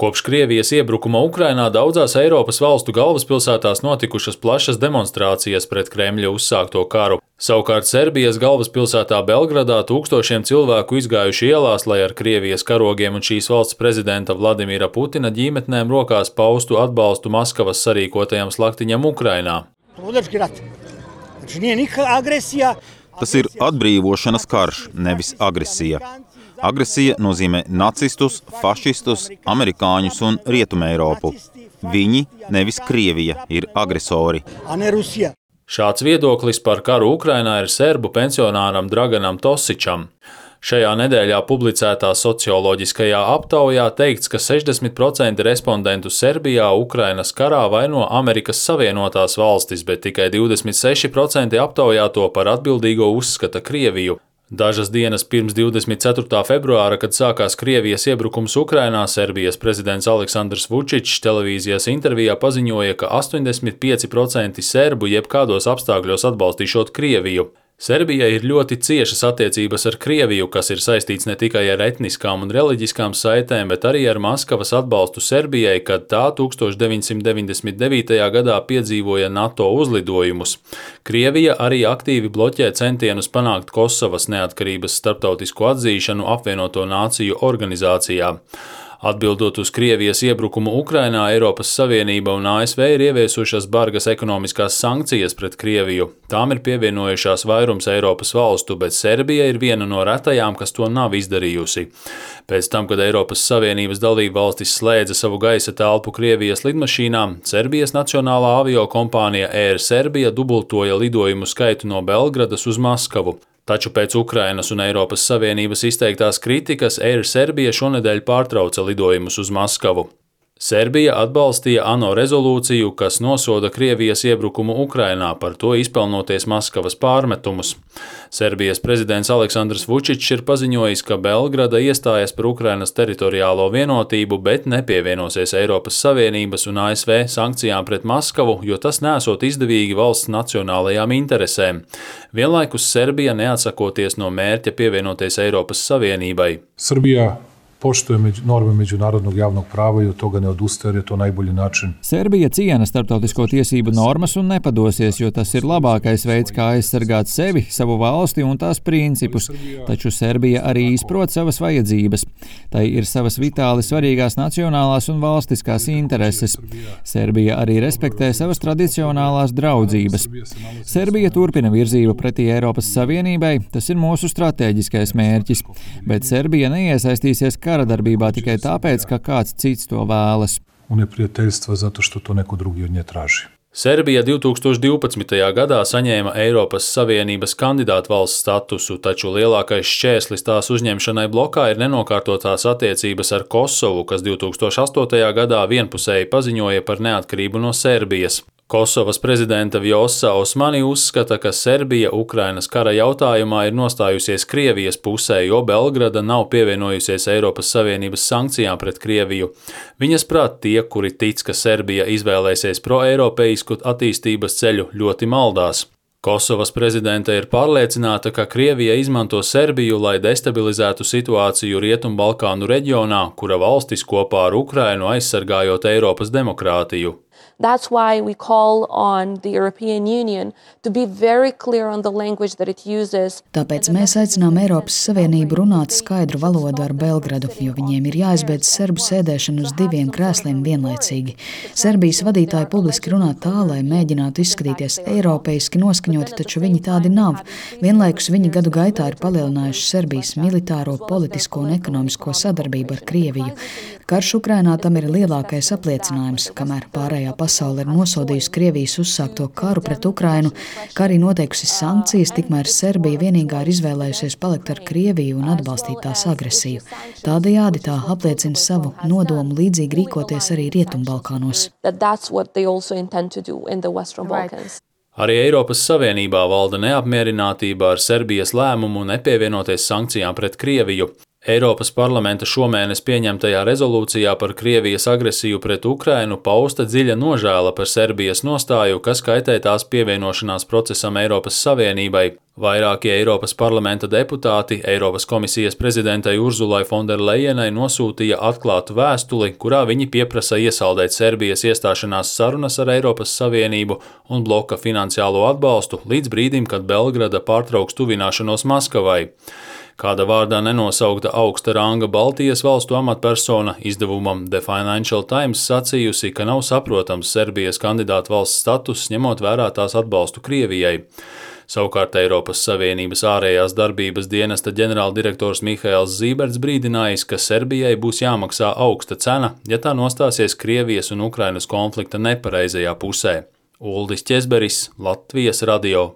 Kopš Krievijas iebrukuma Ukrainā daudzās Eiropas valstu galvaspilsētās notikušas plašas demonstrācijas pret Kremļa uzsākto karu. Savukārt Serbijas galvaspilsētā Belgradā tūkstošiem cilvēku izgājuši ielās, lai ar Krievijas karogiem un šīs valsts prezidenta Vladimira Putina ģimetnēm rokās paustu atbalstu Maskavas sarīkotajam slaktiņam Ukrainā. Tas ir atbrīvošanas karš, nevis agresija. Agresija nozīmē nacistus, fašistus, amerikāņus un Rietumeiropu. Viņi, nevis Krievija, ir agresori. Šāds viedoklis par karu Ukrainā ir serbu pensionāram Draganam Tosičam. Šajā nedēļā publicētā socioloģiskajā aptaujā teikts, ka 60% respondentu Serbijā Ukrainas karā vaino Amerikas Savienotās valstis, bet tikai 26% aptaujāto par atbildīgo uzskata Krieviju. Dažas dienas pirms 24. februāra, kad sākās Krievijas iebrukums Ukrainā, Serbijas prezidents Aleksandrs Vučičs televīzijas intervijā paziņoja, ka 85% serbu jebkādos apstākļos atbalstīšot Krieviju. Serbijai ir ļoti ciešas attiecības ar Krieviju, kas ir saistīts ne tikai ar etniskām un reliģiskām saitēm, bet arī ar Maskavas atbalstu Serbijai, kad tā 1999. gadā piedzīvoja NATO uzlidojumus. Krievija arī aktīvi bloķē centienus panākt Kosovas neatkarības starptautisko atzīšanu Apvienoto Nāciju organizācijā. Atbildot uz Krievijas iebrukumu Ukrainā, Eiropas Savienība un ASV ir ieviesušas bargas ekonomiskās sankcijas pret Krieviju. Tām ir pievienojušās vairums Eiropas valstu, bet Serbija ir viena no retajām, kas to nav izdarījusi. Pēc tam, kad Eiropas Savienības dalība valstis slēdza savu gaisa telpu Krievijas lidmašīnām, Serbijas nacionālā aviokompānija Air Serbia dubultoja lidojumu skaitu no Belgradas uz Maskavu. Taču pēc Ukrainas un Eiropas Savienības izteiktās kritikas Air Serbia šonedēļ pārtrauca lidojumus uz Maskavu. Serbija atbalstīja ANO rezolūciju, kas nosoda Krievijas iebrukumu Ukrainā, par to izpelnoties Maskavas pārmetumus. Serbijas prezidents Aleksandrs Vučičs ir paziņojis, ka Belgrada iestājas par Ukrainas teritoriālo vienotību, bet nepievienosies Eiropas Savienības un ASV sankcijām pret Maskavu, jo tas nesot izdevīgi valsts nacionālajām interesēm. Vienlaikus Serbija neatsakoties no mērķa pievienoties Eiropas Savienībai. Serbija poštuje norme međunarodnog javnog prava i od toga ne odustaje, jer je to najbolji način. Serbija ciena starptautisko tiesību normas un nepadosies, jo tas ir labākais veids, kā aizsargāt sevi, savu valsti un tās principus. Taču Serbija arī izprot savas vajadzības. Tai ir savas vitāli svarīgās nacionālās un valstiskās intereses. Serbija arī respektē savas tradicionālās draudzības. Serbija turpina virzību pretī Eiropas Savienībai, tas ir mūsu stratēģiskais mērķis, bet Serbija neiesaistīsies kara darbībā tikai tāpēc, ka kāds cits to vēlas. Un neprijateljstva zato što to neko drugi od nje traži. Serbija 2012. gadā saņēma Eiropas Savienības kandidātu valsts statusu, taču lielākais šķērslis tās uzņemšanai blokā ir nenokārtotās attiecības ar Kosovu, kas 2008. gadā vienpusēji paziņoja par neatkarību no Serbijas. Kosovas prezidenta Vjosa Osmani uzskata, ka Serbija Ukrainas kara jautājumā ir nostājusies Krievijas pusē, jo Belgrada nav pievienojusies Eiropas Savienības sankcijām pret Krieviju. Viņas prāt tie, kuri tic, ka Serbija izvēlēsies proeiropeisku attīstības ceļu, ļoti maldās. Kosovas prezidente ir pārliecināta, ka Krievija izmanto Serbiju, lai destabilizētu situāciju Rietumbalkānu reģionā, kura valstis kopā ar Ukrainu aizsargājot Eiropas demokrātiju. That's why we call on the European Union to be very clear on the language that it uses. Tāpēc mēs aicinām Eiropas Savienību runāt skaidru valodu ar Belgradu, jo viņiem ir jāizbeidz serbu sēdēšanu uz diviem krēsliem vienlaicīgi. Serbijas vadītāji publiski runā tā, lai mēģinātu izskatīties eiropeiski noskaņoti, taču viņi tādi nav. Vienlaikus viņi gadu gaitā ir palielinājuši Serbijas militāro, politisko un ekonomisko sadarbību ar Krieviju. Karš Ukrainā tam ir lielākais apliecinājums, kamēr pārējā pasaule ir nosodījusi Krievijas uzsākto karu pret Ukrainu, kā arī noteikusi sankcijas, tikmēr Serbija vienīgā ir izvēlējusies palikt ar Krieviju un atbalstīt tās agresiju. Tādējādi tā apliecina savu nodomu līdzīgi rīkoties arī Rietumbalkānos. Arī Eiropas Savienībā valda neapmierinātība ar Serbijas lēmumu nepievienoties sankcijām pret Krieviju. Eiropas parlamenta šomēnes pieņemtajā rezolūcijā par Krievijas agresiju pret Ukrainu pausta dziļa nožēla par Serbijas nostāju, kas kaitē tās pievienošanās procesam Eiropas Savienībai. Vairākie Eiropas parlamenta deputāti Eiropas komisijas prezidentei Urzulai Fonderlejenai nosūtīja atklātu vēstuli, kurā viņi pieprasa iesaldēt Serbijas iestāšanās sarunas ar Eiropas Savienību un bloka finansiālo atbalstu līdz brīdim, kad Belgrada pārtrauks tuvināšanos Maskavai. Kāda vārdā nenosaukta augsta ranga Baltijas valstu amatpersona izdevumam The Financial Times sacījusi, ka nav saprotams Serbijas kandidātu valsts status, ņemot vērā tās atbalstu Krievijai. Savukārt Eiropas Savienības ārējās darbības dienesta ģenerāldirektors Mihails Zīberts brīdinājis, ka Serbijai būs jāmaksā augsta cena, ja tā nostāsies Krievijas un Ukrainas konflikta nepareizajā pusē. Uldis Ķezberis, Latvijas radio.